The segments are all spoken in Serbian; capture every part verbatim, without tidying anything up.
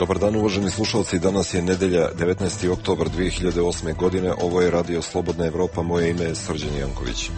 Dobar dan, uvaženi slušalci, danas je nedelja devetnaesti oktobar dve hiljade osme godine, ovo je Radio Slobodna Evropa, moje ime je Srđan Janković.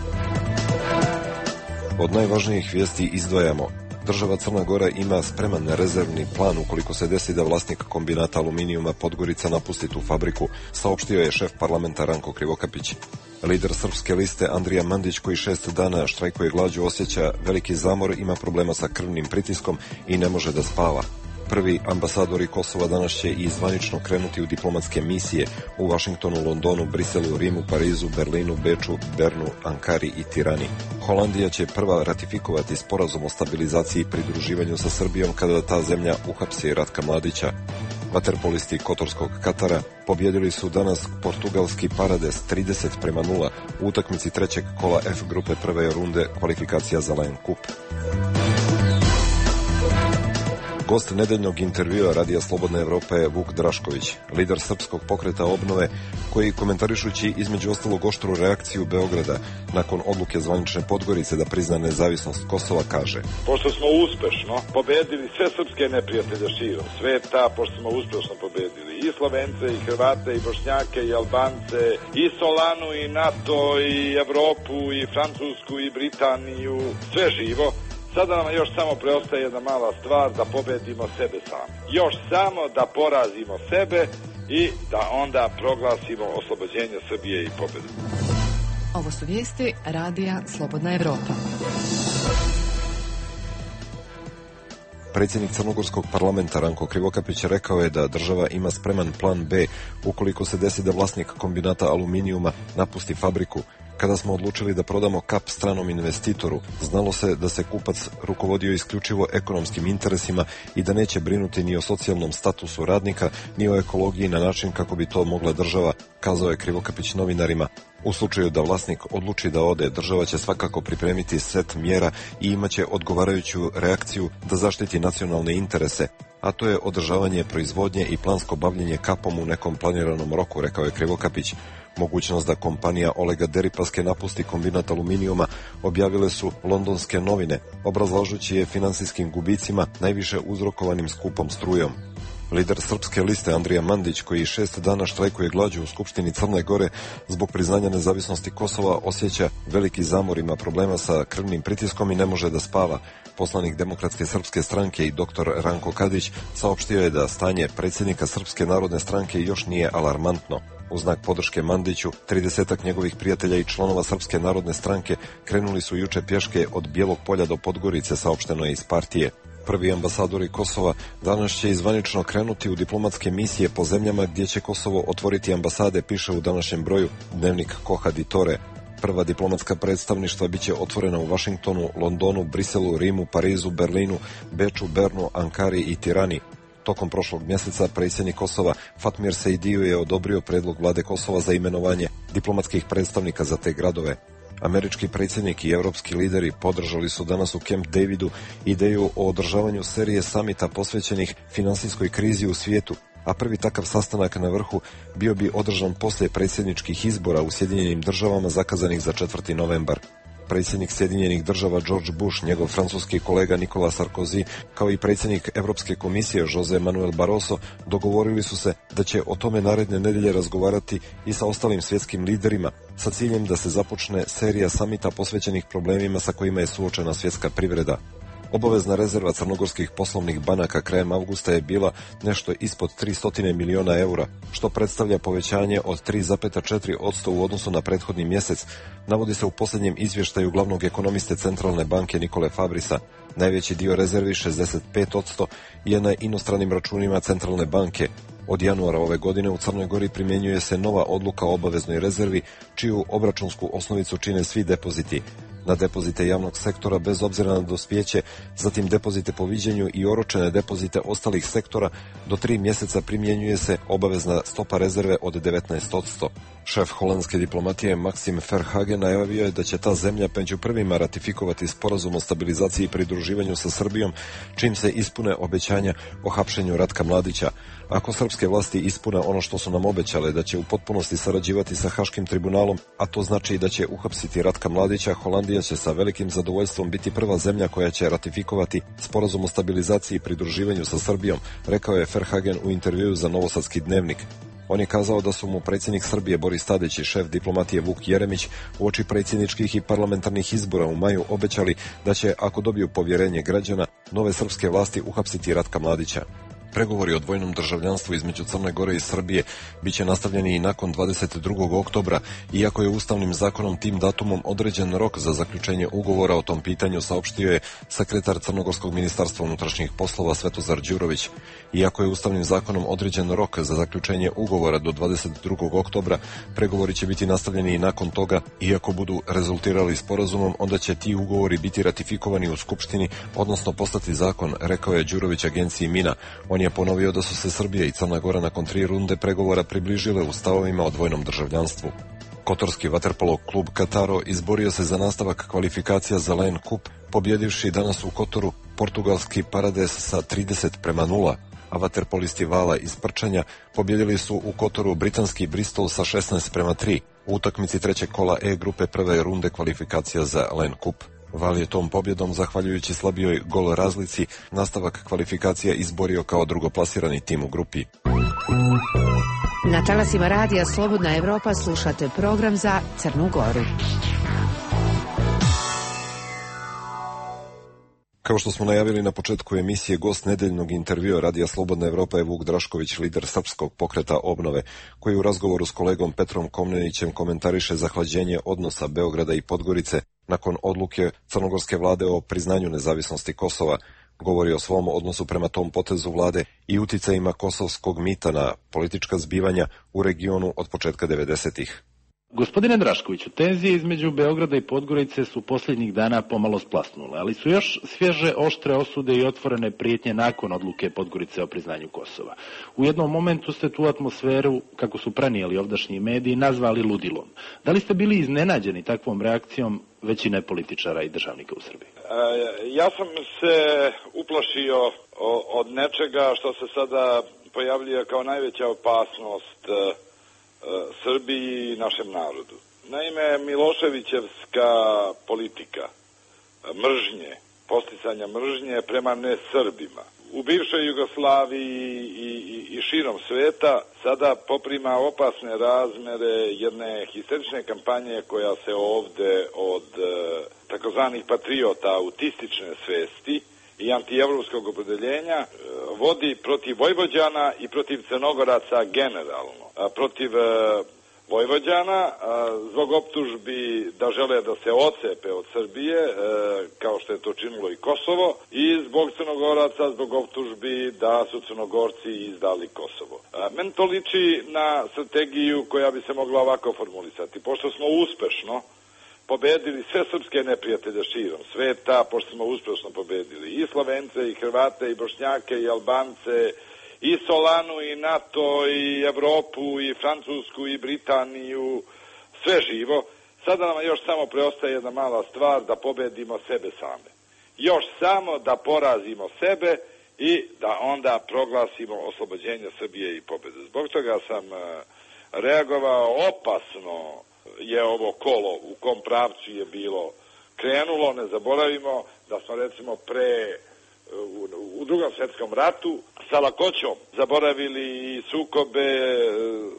Od najvažnijih vijesti izdvajamo: država Crna Gora ima spreman rezervni plan ukoliko se desi da vlasnik kombinata aluminijuma Podgorica napusti tu fabriku, saopštio je šef parlamenta Ranko Krivokapić. Lider Srpske liste Andrija Mandić, koji šest dana štrajkuje glađu, osjeća veliki zamor, ima problema sa krvnim pritiskom i ne može da spava. Prvi ambasadori Kosova danas će i zvanično krenuti u diplomatske misije u Vašingtonu, Londonu, Briselu, Rimu, Parizu, Berlinu, Beču, Bernu, Ankari i Tirani. Holandija će prva ratifikovati sporazum o stabilizaciji i pridruživanju sa Srbijom kada ta zemlja uhapsi Ratka Mladića. Vaterpolisti Kotorskog Katara pobjedili su danas portugalski Parades trideset prema nula u utakmici trećeg kola F grupe prve runde kvalifikacija za Lion Cup. Gost nedeljnog intervjua Radija Slobodna Evropa je Vuk Drašković, lider Srpskog pokreta obnove, koji komentarišući između ostalog oštru reakciju Beograda nakon odluke zvanične Podgorice da prizna nezavisnost Kosova kaže: pošto smo uspešno pobedili sve srpske neprijatelje širom sveta, pošto smo uspešno pobedili i Slovence, i Hrvate, i Bošnjake, i Albance, i Solanu, i NATO, i Evropu, i Francusku, i Britaniju, sve živo, sada nam još samo preostaje jedna mala stvar, da pobedimo sebe sami. Još samo da porazimo sebe i da onda proglasimo oslobođenje Srbije i pobedu. Ovo su vijesti Radija Slobodna Evropa. Predsjednik Crnogorskog parlamenta Ranko Krivokapić rekao je da država ima spreman plan B ukoliko se desi da vlasnik kombinata aluminijuma napusti fabriku. Kada smo odlučili da prodamo Kap stranom investitoru, znalo se da se kupac rukovodio isključivo ekonomskim interesima i da neće brinuti ni o socijalnom statusu radnika, ni o ekologiji na način kako bi to mogla država, kazao je Krivokapić novinarima. U slučaju da vlasnik odluči da ode, država će svakako pripremiti set mjera i imaće odgovarajuću reakciju da zaštiti nacionalne interese, a to je održavanje proizvodnje i plansko bavljenje Kapom u nekom planiranom roku, rekao je Krivokapić. Mogućnost da kompanija Olega Deripaske napusti kombinat aluminijuma objavile su londonske novine, obrazlažući je finansijskim gubicima najviše uzrokovanim skupom strujom. Lider Srpske liste Andrija Mandić, koji šest dana štrajkuje glađu u Skupštini Crne Gore zbog priznanja nezavisnosti Kosova, osjeća veliki zamor, ima problema sa krvnim pritiskom i ne može da spava. Poslanik Demokratske srpske stranke i doktor Ranko Kadić saopštio je da stanje predsjednika Srpske narodne stranke još nije alarmantno. U znak podrške Mandiću, tridesetak njegovih prijatelja i članova Srpske narodne stranke krenuli su juče pješke od Bijelog polja do Podgorice, saopšteno je iz partije. Prvi ambasadori Kosova danas će izvanično krenuti u diplomatske misije po zemljama gdje će Kosovo otvoriti ambasade, piše u današnjem broju dnevnik Koha di Tore. Prva diplomatska predstavništva biće otvorena u Vašingtonu, Londonu, Briselu, Rimu, Parizu, Berlinu, Beču, Bernu, Ankari i Tirani. Tokom prošlog mjeseca predsjednik Kosova Fatmir Sejdiu je odobrio predlog vlade Kosova za imenovanje diplomatskih predstavnika za te gradove. Američki predsjednik i evropski lideri podržali su danas u Camp Davidu ideju o održavanju serije samita posvećenih finansijskoj krizi u svijetu, a prvi takav sastanak na vrhu bio bi održan poslije predsjedničkih izbora u Sjedinjenim državama zakazanih za četvrti novembar. Predsjednik Sjedinjenih država George Bush, njegov francuski kolega Nicolas Sarkozy, kao i predsjednik Europske komisije Jose Manuel Barroso dogovorili su se da će o tome naredne nedelje razgovarati i sa ostalim svjetskim liderima, sa ciljem da se započne serija samita posvećenih problemima sa kojima je suočena svjetska privreda. Obavezna rezerva crnogorskih poslovnih banaka krajem avgusta je bila nešto ispod tristo miliona eura, što predstavlja povećanje od tri zarez četiri posto u odnosu na prethodni mjesec, navodi se u posljednjem izvještaju glavnog ekonomiste Centralne banke Nikole Fabrisa. Najveći dio rezervi, šezdeset pet posto, je na inostranim računima Centralne banke. Od januara ove godine u Crnoj Gori primjenjuje se nova odluka o obaveznoj rezervi, čiju obračunsku osnovicu čine svi depoziti. Na depozite javnog sektora bez obzira na dospijeće, zatim depozite po viđenju i oročene depozite ostalih sektora, do tri mjeseca primjenjuje se obavezna stopa rezerve od devetnaest posto. Šef holandske diplomatije Maxim Verhagen najavio je da će ta zemlja među prvima ratifikovati sporazum o stabilizaciji i pridruživanju sa Srbijom, čim se ispune obećanja o hapšenju Ratka Mladića, Ako srpske vlasti ispune ono što su nam obećale, da će u potpunosti sarađivati sa Haškim tribunalom, a to znači i da će uhapsiti Ratka Mladića, Holandija će sa velikim zadovoljstvom biti prva zemlja koja će ratifikovati sporazum o stabilizaciji i pridruživanju sa Srbijom, rekao je Verhagen u intervjuu za Novosadski dnevnik. On je kazao da su mu predsjednik Srbije Boris Tadić i šef diplomatije Vuk Jeremić uoči predsjedničkih i parlamentarnih izbora u maju obećali da će, ako dobiju povjerenje građana, nove srpske vlasti uhapsiti Ratka Mladića. Pregovori o dvojnom državljanstvu između Crne Gore i Srbije biće nastavljeni i nakon dvadeset drugog oktobra, iako je ustavnim zakonom tim datumom određen rok za zaključenje ugovora o tom pitanju, saopštio je sekretar Crnogorskog ministarstva unutrašnjih poslova Svetozar Đurović. Iako je ustavnim zakonom određen rok za zaključenje ugovora do dvadeset drugog oktobra, pregovori će biti nastavljeni i nakon toga, iako budu rezultirali sporazumom, onda će ti ugovori biti ratifikovani u Skupštini, odnosno postati zakon, rekao je Đurović agenciji Mina. On je ponovio da su se Srbija i Crna Gora nakon tri runde pregovora približile u stavovima o dvojnom državljanstvu. Kotorski vaterpolo klub Kataro izborio se za nastavak kvalifikacija za Len Kup, pobjedivši danas u Kotoru portugalski Parades sa trideset prema nula, a vaterpolisti Vala iz Prčanja pobjedili su u Kotoru britanski Bristol sa šesnaest prema tri u utakmici trećeg kola E grupe prve runde kvalifikacija za Len Kup. Val je tom pobjedom, zahvaljujući slabijoj gol razlici, nastavak kvalifikacija izborio kao drugoplasirani tim u grupi. Na talasima radija Slobodna Evropa slušate program za Crnu Goru. Kao što smo najavili na početku emisije, gost nedeljnog intervjua Radija Slobodna Evropa je Vuk Drašković, lider Srpskog pokreta obnove, koji u razgovoru s kolegom Petrom Komnenićem komentariše zahlađenje odnosa Beograda i Podgorice nakon odluke crnogorske vlade o priznanju nezavisnosti Kosova. Govori o svom odnosu prema tom potezu vlade i uticajima kosovskog mita na politička zbivanja u regionu od početka devedesetih. Gospodine Draškoviću, tenzije između Beograda i Podgorice su posljednjih dana pomalo splasnule, ali su još svježe oštre osude i otvorene prijetnje nakon odluke Podgorice o priznanju Kosova. U jednom momentu ste tu atmosferu, kako su prenijeli ovdašnji mediji, nazvali ludilom. Da li ste bili iznenađeni takvom reakcijom većine političara i državnika u Srbiji? E, ja sam se uplašio od nečega što se sada pojavljuje kao najveća opasnost Srbiji i našem narodu. Naime, Miloševićevska politika mržnje, posticanja mržnje prema nesrbima u bivšoj Jugoslaviji i, i, i širom sveta sada poprima opasne razmere jedne histerične kampanje koja se ovde od e, takozvanih patriota autistične svesti i antievropskog opredeljenja e, vodi protiv Vojvođana i protiv Crnogoraca generalno. A, protiv e, Vojvođana a, zbog optužbi da žele da se ocepe od Srbije, e, kao što je to činilo i Kosovo, i zbog Crnogoraca zbog optužbi da su Crnogorci izdali Kosovo. A, men to liči na strategiju koja bi se mogla ovako formulisati. Pošto smo uspešno pobedili sve srpske neprijatelje širom sveta, pošto smo uspešno pobedili i Slovence, i Hrvate, i Bošnjake, i Albance, i Solanu, i NATO, i Evropu, i Francusku, i Britaniju, sve živo. Sada nam još samo preostaje jedna mala stvar, da pobedimo sebe same. Još samo da porazimo sebe i da onda proglasimo oslobođenje Srbije i pobede. Zbog toga sam reagovao opasno. Je ovo kolo u kom pravcu je bilo krenulo. Ne zaboravimo da smo recimo pre u, u drugom svjetskom ratu sa lakoćom zaboravili sukobe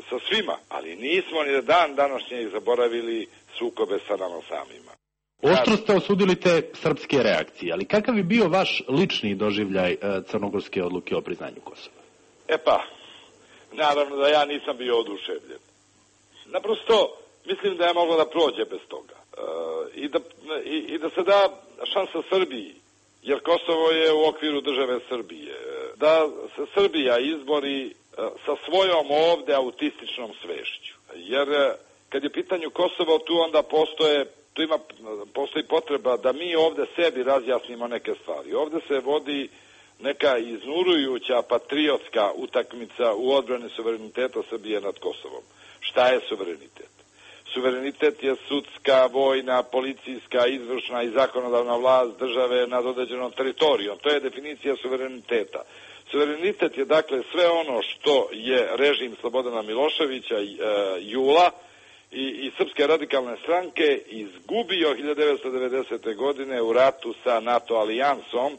sa svima, ali nismo ni dan današnjeg zaboravili sukobe sa nama samima. Oštro ste osudili te srpske reakcije, ali kakav je bio vaš lični doživljaj crnogorske odluke o priznanju Kosova? E pa, naravno da ja nisam bio oduševljen. Naprosto mislim da je moglo da prođe bez toga e, i, da, i, i da se da šansa Srbiji, jer Kosovo je u okviru države Srbije, da se Srbija izbori e, sa svojom ovde autističnom svešću. Jer e, kad je pitanju Kosovo, tu onda postoje, tu ima, postoji potreba da mi ovde sebi razjasnimo neke stvari. Ovde se vodi neka iznurujuća patriotska utakmica u odbrani suvereniteta Srbije nad Kosovom. Šta je suverenitet? Suverenitet je sudska, vojna, policijska, izvršna i zakonodavna vlast države nad određenom teritorijom. To je definicija suvereniteta. Suverenitet je dakle sve ono što je režim Slobodana Miloševića e, jula i, i Srpske radikalne stranke izgubio hiljadu devetsto devedesete. godine u ratu sa NATO alijansom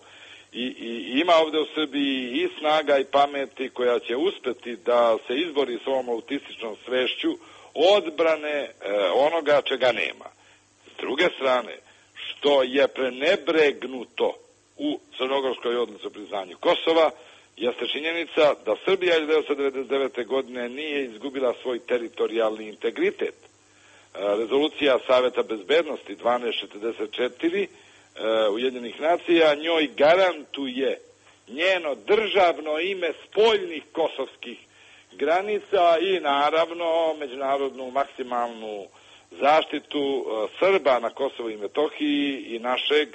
i, i ima ovde u Srbiji i snaga i pameti koja će uspeti da se izbori s ovom autističnom svešću odbrane e, onoga čega nema. S druge strane, što je prenebregnuto u crnogorskoj odluci o priznanju Kosova, jeste činjenica da Srbija hiljadu devetsto devedeset devete. godine nije izgubila svoj teritorijalni integritet. Rezolucija Saveta bezbednosti dvanaest četrdeset četiri Ujedinjenih nacija njoj garantuje njeno državno ime spoljnih kosovskih granica i naravno međunarodnu maksimalnu zaštitu Srba na Kosovu i Metohiji i našeg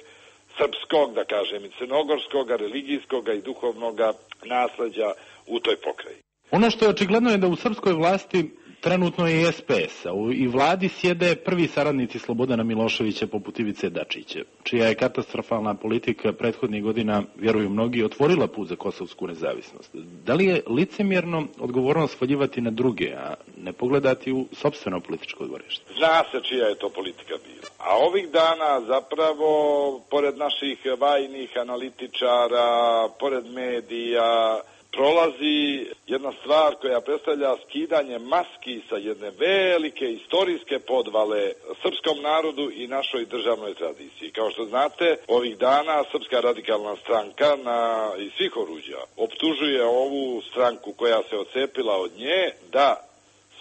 srpskog, da kažem, i crnogorskog, religijskog i duhovnog nasleđa u toj pokrajini. Ono što je očigledno je da u srpskoj vlasti trenutno je i es pe es, a i vladi sjede prvi saradnici Slobodana Miloševića poput Ivice Dačića, čija je katastrofalna politika prethodnih godina, vjeruju mnogi, otvorila put za kosovsku nezavisnost. Da li je licemjerno odgovornost svaljivati na druge, a ne pogledati u sopstveno političko dvorište? Zna se čija je to politika bila. A ovih dana zapravo, pored naših vajnih analitičara, pored medija, prolazi jedna stvar koja predstavlja skidanje maski sa jedne velike istorijske podvale srpskom narodu i našoj državnoj tradiciji. Kao što znate, ovih dana Srpska radikalna stranka na, iz svih oruđa optužuje ovu stranku koja se odcepila od nje da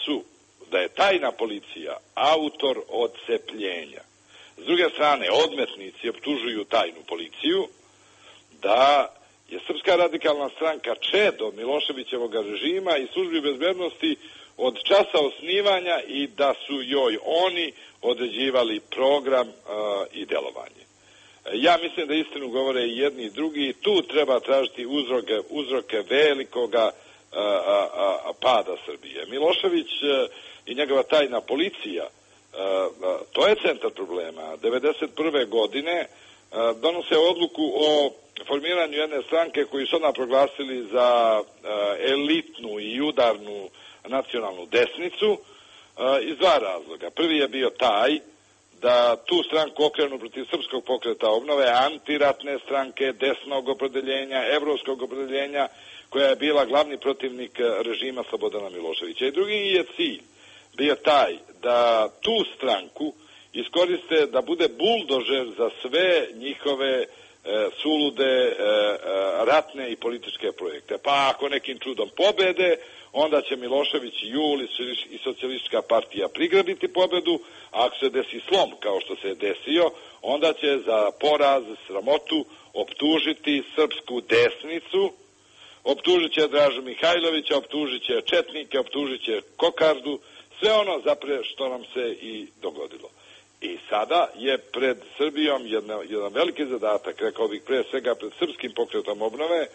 su, da je tajna policija autor odcepljenja. S druge strane, odmetnici optužuju tajnu policiju da je Srpska radikalna stranka čedo Miloševićevog režima i službi bezbednosti od časa osnivanja i da su joj oni određivali program uh, i delovanje. Ja mislim da istinu govore i jedni i drugi i tu treba tražiti uzroke, uzroke velikoga uh, uh, pada Srbije. Milošević uh, i njegova tajna policija, uh, uh, to je centar problema. devedeset prve. godine uh, donose odluku o formiranju jedne stranke koji su odmah proglasili za uh, elitnu i udarnu nacionalnu desnicu uh, iz dva razloga. Prvi je bio taj da tu stranku okrenu protiv srpskog pokreta obnove, antiratne stranke, desnog opredeljenja, evropskog opredeljenja, koja je bila glavni protivnik režima Slobodana Miloševića. I drugi je cilj bio taj da tu stranku iskoriste da bude buldožer za sve njihove E, sulude e, e, ratne i političke projekte. Pa ako nekim čudom pobede, onda će Milošević i Jul i socijalistička partija prigrabiti pobedu, a ako se desi slom kao što se je desio, onda će za poraz, sramotu optužiti srpsku desnicu, optužit će Dražu Mihajlovića, optužit će četnike, optužit će kokardu, sve ono zapre što nam se i dogodilo. I sada je pred Srbijom jedna, jedan veliki zadatak, rekao bih pre svega pred srpskim pokretom obnove,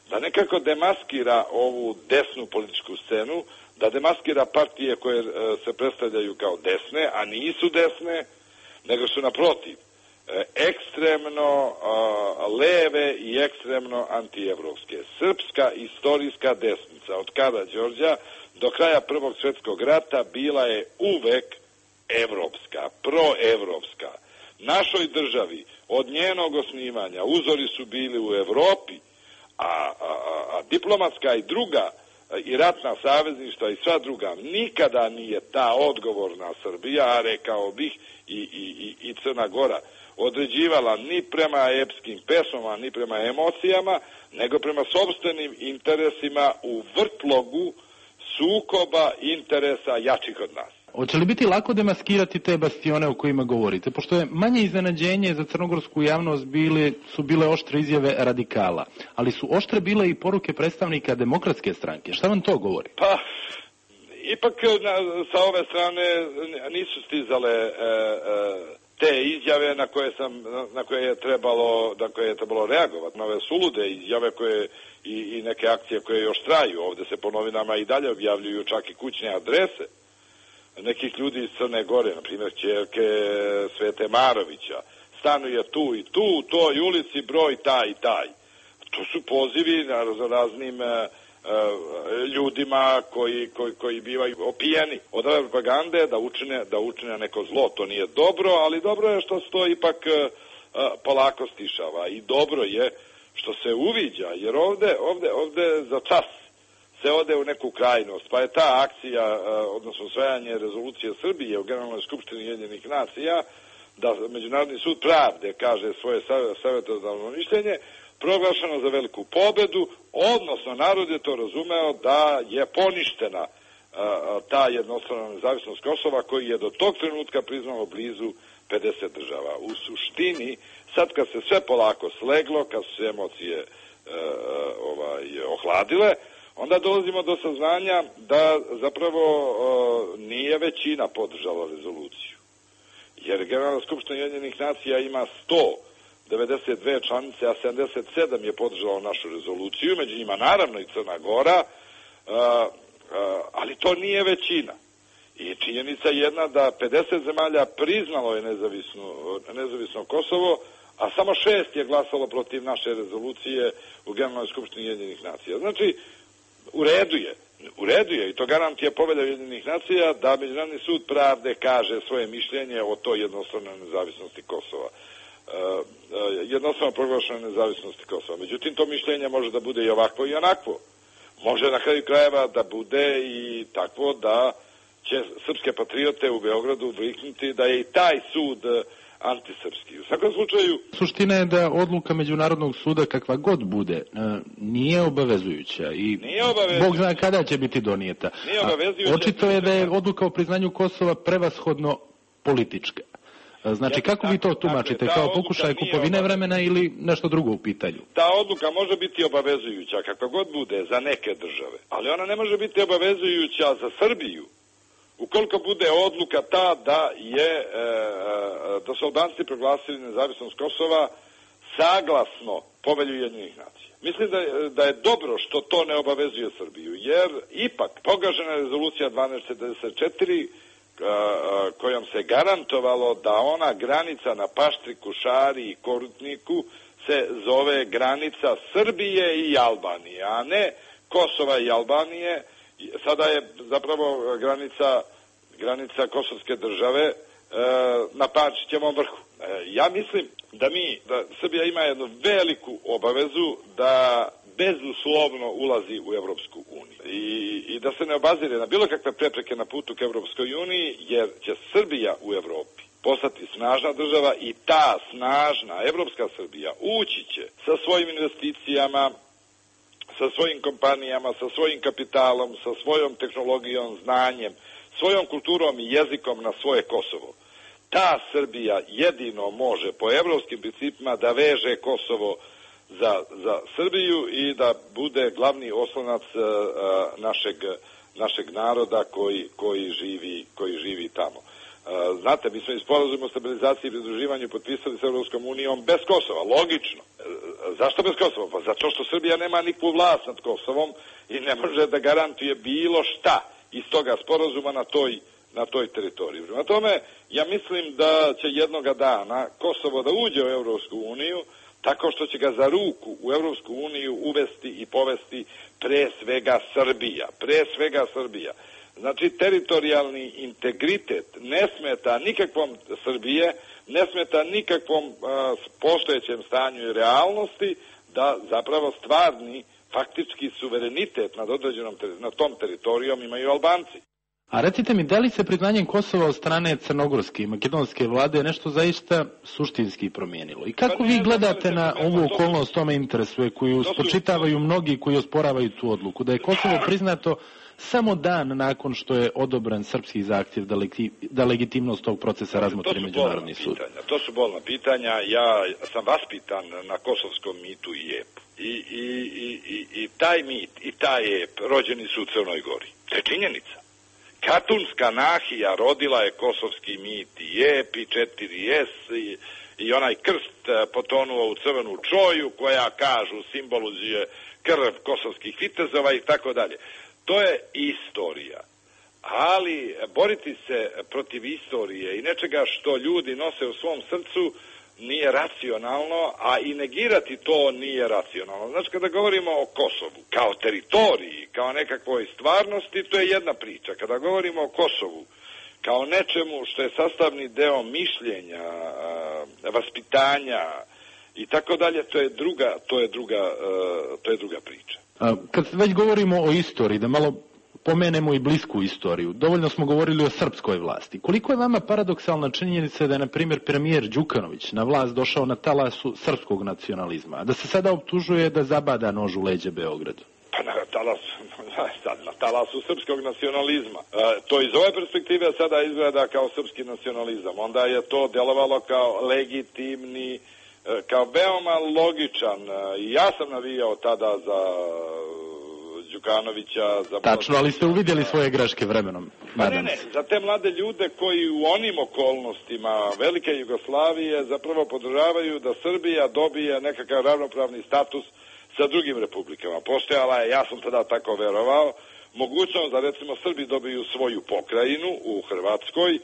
da nekako demaskira ovu desnu političku scenu, da demaskira partije koje e, se predstavljaju kao desne, a nisu desne, nego su naprotiv e, ekstremno a, leve i ekstremno antievropske. Srpska istorijska desnica od Kada Đorđa do kraja Prvog svjetskog rata bila je uvek evropska, proevropska. Našoj državi od njenog osnivanja uzori su bili u Evropi, a, a, a diplomatska i druga i ratna savezništva i sva druga nikada nije ta odgovorna Srbija, a rekao bih i, i, i Crna Gora, određivala ni prema epskim pesmama, ni prema emocijama, nego prema sopstvenim interesima u vrtlogu sukoba interesa jačih od nas. Hoće li biti lako demaskirati te bastione o kojima govorite? Pošto je manje iznenađenje za crnogorsku javnost bile, su bile oštre izjave radikala, ali su oštre bile i poruke predstavnika Demokratske stranke. Šta vam to govori? Pa, ipak na, sa ove strane nisu stizale e, e, te izjave na koje sam, na koje je trebalo, na koje je trebalo reagovati. Na ove sulude izjave koje i, i neke akcije koje još traju. Ovde se po novinama i dalje objavljuju čak i kućne adrese nekih ljudi iz Crne Gore, na primjer ćerke Svete Marovića, stanuje tu i tu, u toj ulici, broj taj i taj. to su pozivi na raznim ljudima koji, koji, koji bivaju opijeni od ove propagande da učine, da učine neko zlo. To nije dobro, ali dobro je što se to ipak polako stišava i dobro je što se uviđa, jer ovde, ovde, ovde za čas se ode u neku krajnost, pa je ta akcija, odnosno usvajanje rezolucije Srbije u Generalnoj skupštini Ujedinjenih nacija, da Međunarodni sud pravde kaže svoje savjetodavno mišljenje, proglašeno za veliku pobedu, odnosno narod je to razumeo da je poništena a, ta jednostrana nezavisnost Kosova koji je do tog trenutka priznalo blizu pedeset država. U suštini, sad kad se sve polako sleglo, kad su se emocije e, ovaj, ohladile, onda dolazimo do saznanja da zapravo e, nije većina podržala rezoluciju. Jer Generalna skupština Ujedinjenih nacija ima sto devedeset dve članice, a sedamdeset sedam je podržalo našu rezoluciju, među njima naravno i Crna Gora, a, a, ali to nije većina. I činjenica jedna da pedeset zemalja priznalo je nezavisno, nezavisno Kosovo, a samo šest je glasalo protiv naše rezolucije u Generalnoj skupštini Ujedinjenih nacija. Znači, u redu je. U redu je i to garantuje Povelja Ujedinjenih nacija da Međunarodni sud pravde kaže svoje mišljenje o toj jednostranoj nezavisnosti Kosova. Uh, uh, jednostavno proglašene nezavisnosti Kosova. Međutim, to mišljenje može da bude i ovakvo i onakvo. Može na kraju krajeva da bude i takvo da će srpske patriote u Beogradu viknuti da je i taj sud uh, antisrpski. U svakom slučaju... Suština je da odluka Međunarodnog suda kakva god bude nije obavezujuća i nije obavezujuća. Bog zna kada će biti donijeta. Nije obavezujuća. Očito je da je odluka o priznanju Kosova prevashodno politička. Znači, kako vi to tumačite? Kao pokušaj kupovine vremena ili nešto drugo u pitanju? Ta odluka može biti obavezujuća, kakva god bude, za neke države, ali ona ne može biti obavezujuća za Srbiju, ukoliko bude odluka ta da je, e, da su Albanci proglasili nezavisnost Kosova saglasno Povelju Ujedinjenih nacija. Mislim da je, da je dobro što to ne obavezuje Srbiju, jer ipak pogažena rezolucija dvanaest četrdeset četiri kojom se garantovalo da ona granica na Paštriku, Šari i Korutniku se zove granica Srbije i Albanije, a ne Kosova i Albanije. Sada je zapravo granica, granica kosovske države e, na Pančićevom vrhu. E, ja mislim da mi, da Srbija ima jednu veliku obavezu da bezuslovno ulazi u Evropsku uniju I, i da se ne obazire na bilo kakve prepreke na putu ka Evropskoj uniji, jer će Srbija u Evropi postati snažna država i ta snažna evropska Srbija ući će sa svojim investicijama, sa svojim kompanijama, sa svojim kapitalom, sa svojom tehnologijom, znanjem, svojom kulturom i jezikom na svoje Kosovo. Ta Srbija jedino može po evropskim principima da veže Kosovo za, za Srbiju i da bude glavni oslonac uh, našeg, našeg naroda koji, koji, živi, koji živi tamo. Uh, znate, mi smo i sporazum o stabilizaciji i pridruživanju potpisali s Evropskom unijom bez Kosova, logično. Uh, zašto bez Kosova? Pa zato što Srbija nema nikakvu vlast nad Kosovom i ne može da garantuje bilo šta iz toga sporazuma na toj, na toj teritoriji. Prema tome, ja mislim da će jednoga dana Kosovo da uđe u Evropsku uniju tako što će ga za ruku u Evropsku uniju uvesti i povesti pre svega Srbija. Pre svega Srbija. Znači, teritorijalni integritet ne smeta nikakvom Srbije, ne smeta nikakvom a, postojećem stanju i realnosti da zapravo stvarni faktički suverenitet nad određenom nad tom teritorijom imaju Albanci. A recite mi, da li se priznanjem Kosova od strane crnogorske i makedonske vlade nešto zaista suštinski promijenilo? I kako vi gledate na ovu okolnost, to me interesuje, koju spočitavaju mnogi koji osporavaju tu odluku, da je Kosovo priznato samo dan nakon što je odobren srpski zahtjev da, legi, da legitimnost tog procesa razmotri Međunarodni sud? To su bolna pitanja. Ja sam vaspitan na kosovskom mitu i epu. I, i, i, i, i taj mit i taj ep rođeni su u Crnoj Gori. To je činjenica. Katunska nahija rodila je kosovski mit i ep i četiri es i, i onaj krst potonuo u crvenu čoju koja, kažu, simbolizuje krv kosovskih vitezova i tako dalje. To je istorija. Ali boriti se protiv istorije i nečega što ljudi nose u svom srcu nije racionalno, a i negirati to nije racionalno. Znači, kada govorimo o Kosovu kao teritoriji, kao nekakvoj stvarnosti, to je jedna priča. Kada govorimo o Kosovu kao nečemu što je sastavni deo mišljenja, vaspitanja i tako dalje, to je druga, to je druga, to je druga priča. A, kad već govorimo o istoriji, da malo pomenemo i blisku istoriju. Dovoljno smo govorili o srpskoj vlasti. Koliko je vama paradoksalna činjenica da je, na primjer, premijer Đukanović na vlast došao na talasu srpskog nacionalizma, a da se sada optužuje da zabada nož u leđe Beogradu? Pa na talasu, na talasu srpskog nacionalizma. E, to iz ove perspektive sada izgleda kao srpski nacionalizam. Onda je to delovalo kao legitimni, kao veoma logičan. I ja sam navijao tada za Đukanovića. Za Tačno, ali ste uvidjeli svoje greške vremenom. Pa ne, ne, za te mlade ljude koji u onim okolnostima velike Jugoslavije zapravo podržavaju da Srbija dobije nekakav ravnopravni status sa drugim republikama. Postojala je, ja sam tada tako verovao, mogućnost da recimo Srbi dobiju svoju pokrajinu u Hrvatskoj,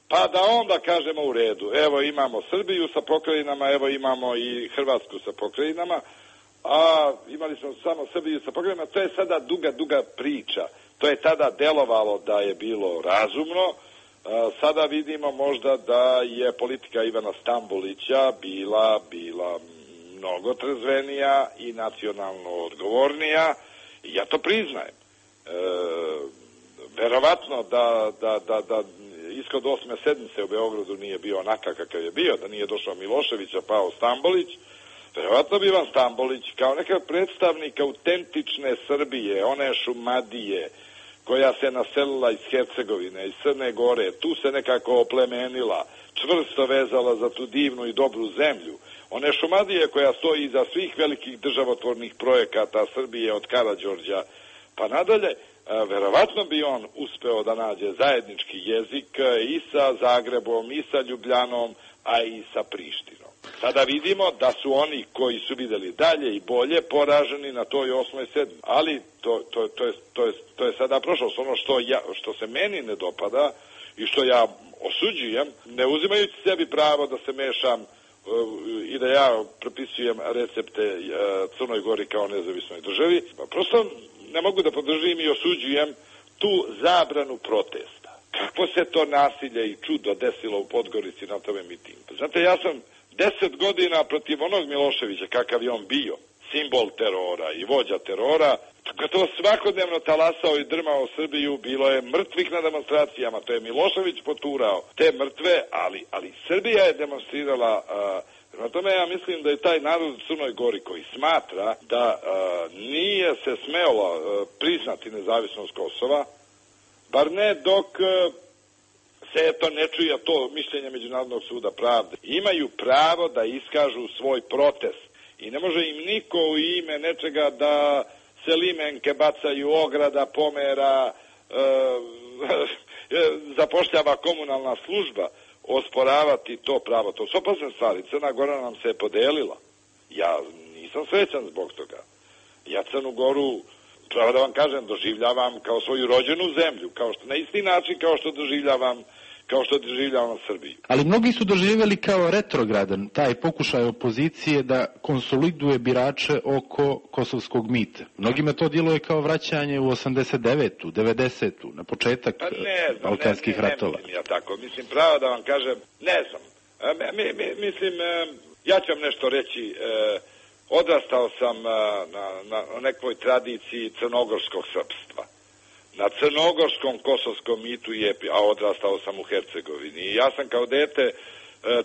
pa da onda kažemo u redu, evo imamo Srbiju sa pokrajinama, evo imamo i Hrvatsku sa pokrajinama, a imali smo samo Srbiju sa pokrajinama. To je sada duga, duga priča. To je tada delovalo da je bilo razumno. Sada vidimo možda da je politika Ivana Stambolića bila, bila mnogo trezvenija i nacionalno odgovornija. I ja to priznajem. E, verovatno da, da, da, da ishod osme sedmice u Beogradu nije bio onaka kakav je bio, da nije došao Milošević, a pao Stambolić. Verovatno bi Ivan Stambolić kao neka predstavnik autentične Srbije, one Šumadije, koja se naselila iz Hercegovine, iz Crne Gore, tu se nekako oplemenila, čvrsto vezala za tu divnu i dobru zemlju. One Šumadije koja stoji iza svih velikih državotvornih projekata Srbije od Karađorđa pa nadalje, verovatno bi on uspeo da nađe zajednički jezik i sa Zagrebom, i sa Ljubljanom, a i sa Prištinom. Sada vidimo da su oni koji su videli dalje i bolje poraženi na toj osmoj sedmi. Ali to, to, to, je, to, je, to je sada prošlost. Ono što, ja, što se meni ne dopada i što ja osuđujem, ne uzimajući sebi pravo da se mešam uh, i da ja propisujem recepte uh, Crnoj Gori kao nezavisnoj državi, prosto ne mogu da podržim i osuđujem tu zabranu protesta. Kako se to nasilje i čudo desilo u Podgorici na tome mitingu? Znate, ja sam deset godina protiv onog Miloševića, kakav je on bio, simbol terora i vođa terora, gotovo svakodnevno talasao i drmao Srbiju, bilo je mrtvih na demonstracijama, to je Milošević poturao te mrtve, ali, ali Srbija je demonstrirala. Na tome ja mislim da je taj narod u Crnoj Gori koji smatra da a, nije se smelo a, priznati nezavisnost Kosova, bar ne dok a, se eto ne čuje to mišljenje Međunarodnog suda pravde. Imaju pravo da iskažu svoj protest i ne može im niko u ime nečega da se limenke bacaju, ograda, pomera, e, zapošljava komunalna služba, osporavati to pravo. To su opasne stvari. Crna Gora nam se je podelila. Ja nisam srećan zbog toga. Ja Crnu Goru, pravo da vam kažem, doživljavam kao svoju rođenu zemlju, kao što, na isti način kao što doživljavam kao što doživljavam Srbiju. Ali mnogi su doživjeli kao retrogradan taj pokušaj opozicije da konsoliduje birače oko kosovskog mita. Mnogima to djeluje kao vraćanje u osamdeset devetu, devedesetu, na početak pa ne znam, balkanskih ne, ne, ratova. Ne mislim ja tako. Mislim, pravo da vam kažem, ne znam. Mi, mi, mislim, ja ću vam nešto reći. Odrastao sam na, na, na nekoj tradiciji crnogorskog srpstva. Na crnogorskom kosovskom mitu je, a odrastao sam u Hercegovini. I ja sam kao dete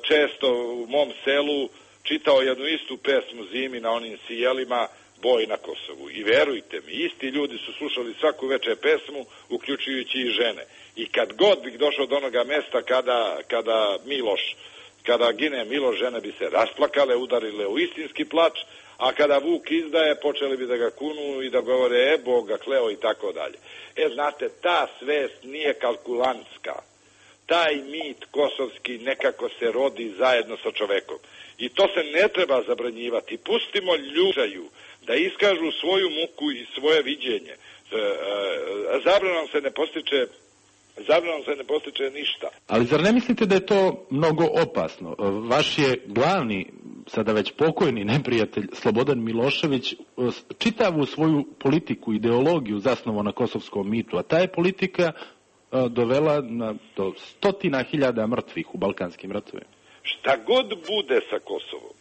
često u mom selu čitao jednu istu pesmu zimi na onim sijelima, Boj na Kosovu. I verujte mi, isti ljudi su slušali svaku večer pesmu, uključujući i žene. I kad god bih došao do onoga mesta kada, kada Miloš, kada gine Miloš, žene bi se rasplakale, udarile u istinski plač, a kada Vuk izdaje, počeli bi da ga kunu i da govore, e, Bog ga kleo i tako dalje. E, znate, ta svest nije kalkulantska. Taj mit kosovski nekako se rodi zajedno sa čovekom. I to se ne treba zabranjivati. Pustimo ljuđaju da iskažu svoju muku i svoje viđenje. Zabranom se ne postiče zabranom se ne postiče ništa. Ali zar ne mislite da je to mnogo opasno? Vaš je glavni, sada već pokojni neprijatelj Slobodan Milošević čitavu svoju politiku, ideologiju zasnovao na kosovskom mitu, a ta je politika dovela na, do stotina hiljada mrtvih u balkanskim ratovima. Šta god bude sa Kosovom,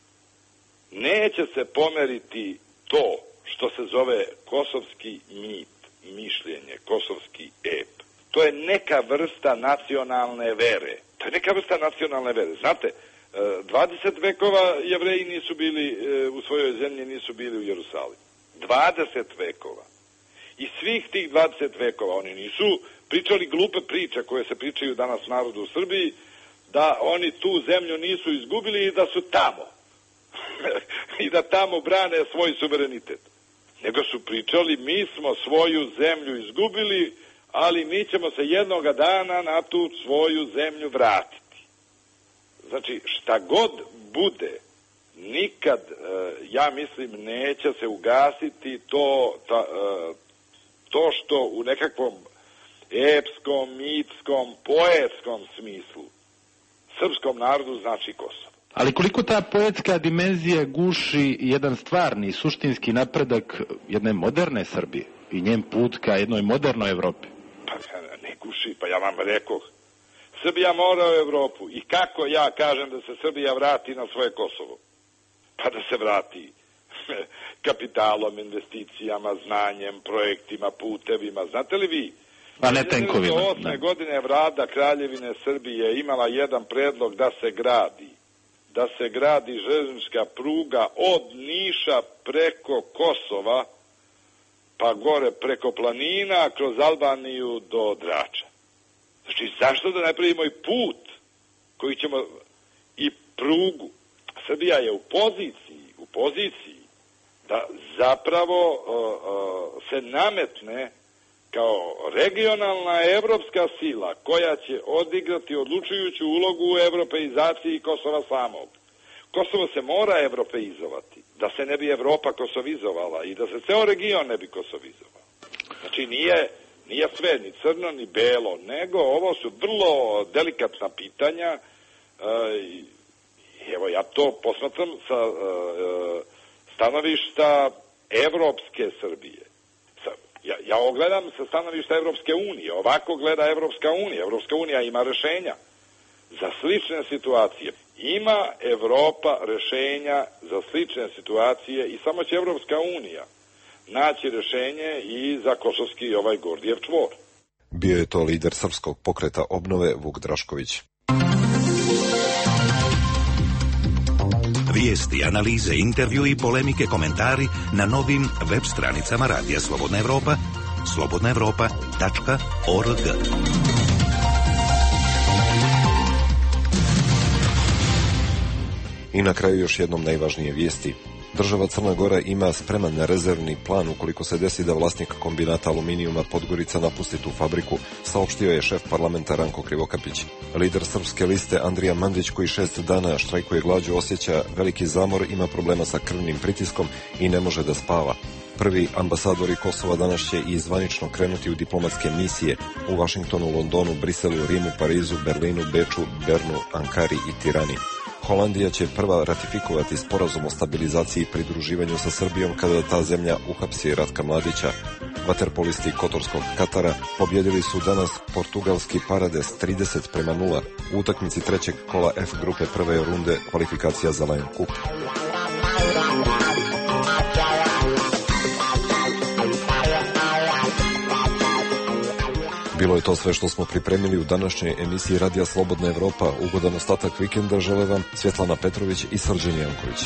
neće se pomeriti to što se zove kosovski mit, mišljenje, kosovski ep. To je neka vrsta nacionalne vere. To je neka vrsta nacionalne vere. Znate, dvadeset vekova Jevreji nisu bili u svojoj zemlji, nisu bili u Jerusalimu. dvadeset vekova. I svih tih dvadeset vekova oni nisu pričali glupe priče koje se pričaju danas narodu u Srbiji, da oni tu zemlju nisu izgubili i da su tamo. I da tamo brane svoj suverenitet. Nego su pričali, mi smo svoju zemlju izgubili, ali mi ćemo se jednoga dana na tu svoju zemlju vratiti. Znači, šta god bude, nikad, ja mislim, neće se ugasiti to, ta, to što u nekakvom epskom, mitskom, poetskom smislu srpskom narodu znači Kosovo. Ali koliko ta poetska dimenzija guši jedan stvarni, suštinski napredak jedne moderne Srbije i njen put ka jednoj modernoj Evropi? Pa ne guši, pa ja vam rekoh. Srbija mora u Evropu. I kako ja kažem da se Srbija vrati na svoje Kosovo? Pa da se vrati kapitalom, investicijama, znanjem, projektima, putevima. Znate li vi? Pa ne tenkovima. Do osme godine Vlada Kraljevine Srbije imala jedan predlog da se gradi. Da se gradi železnička pruga od Niša preko Kosova, pa gore preko planina, kroz Albaniju do Drača. Znači, zašto da ne pravimo i put koji ćemo, i prugu? Srbija je u poziciji, u poziciji da zapravo uh, uh, se nametne kao regionalna evropska sila koja će odigrati odlučujuću ulogu u evropeizaciji Kosova samog. Kosovo se mora evropeizovati, da se ne bi Evropa kosovizovala i da se ceo region ne bi kosovizovao. Znači nije, nije sve ni crno ni belo, nego ovo su vrlo delikatna pitanja. E, evo ja to posmatram sa e, stanovišta Evropske Srbije. Sa, ja, ja ovo gledam sa stanovišta Evropske unije, ovako gleda Evropska unija. Evropska unija ima rešenja za slične situacije. Ima Evropa rešenja za slične situacije i samo će Evropska unija naći rešenje i za kosovski i ovaj Gordijev čvor. Bio je to lider srpskog pokreta obnove Vuk Drašković. Vijesti, analize, intervju i polemike, komentari na novim web stranicama Radija Slobodna Evropa, slobodna evropa tačka org. I na kraju još jednom najvažnije vijesti. Država Crna Gora ima spreman rezervni plan ukoliko se desi da vlasnik kombinata aluminijuma Podgorica napusti tu fabriku, saopštio je šef parlamenta Ranko Krivokapić. Lider Srpske liste Andrija Mandić, koji šest dana štrajkuje glađu, osjeća veliki zamor, ima problema sa krvnim pritiskom i ne može da spava. Prvi ambasadori Kosova danas će i zvanično krenuti u diplomatske misije u Vašingtonu, Londonu, Briselu, Rimu, Parizu, Berlinu, Beču, Bernu, Ankari i Tirani. Holandija će prva ratifikovati sporazum o stabilizaciji i pridruživanju sa Srbijom kada ta zemlja uhapsi Ratka Mladića. Vaterpolisti Kotorskog Katara pobjedili su danas portugalski Parades trideset prema nula u utakmici trećeg kola F grupe prve runde kvalifikacija za Lion Cup. Bilo je to sve što smo pripremili u današnjoj emisiji Radija Slobodna Evropa. Ugodan ostatak vikenda žele vam Svjetlana Petrović i Srđan Janković.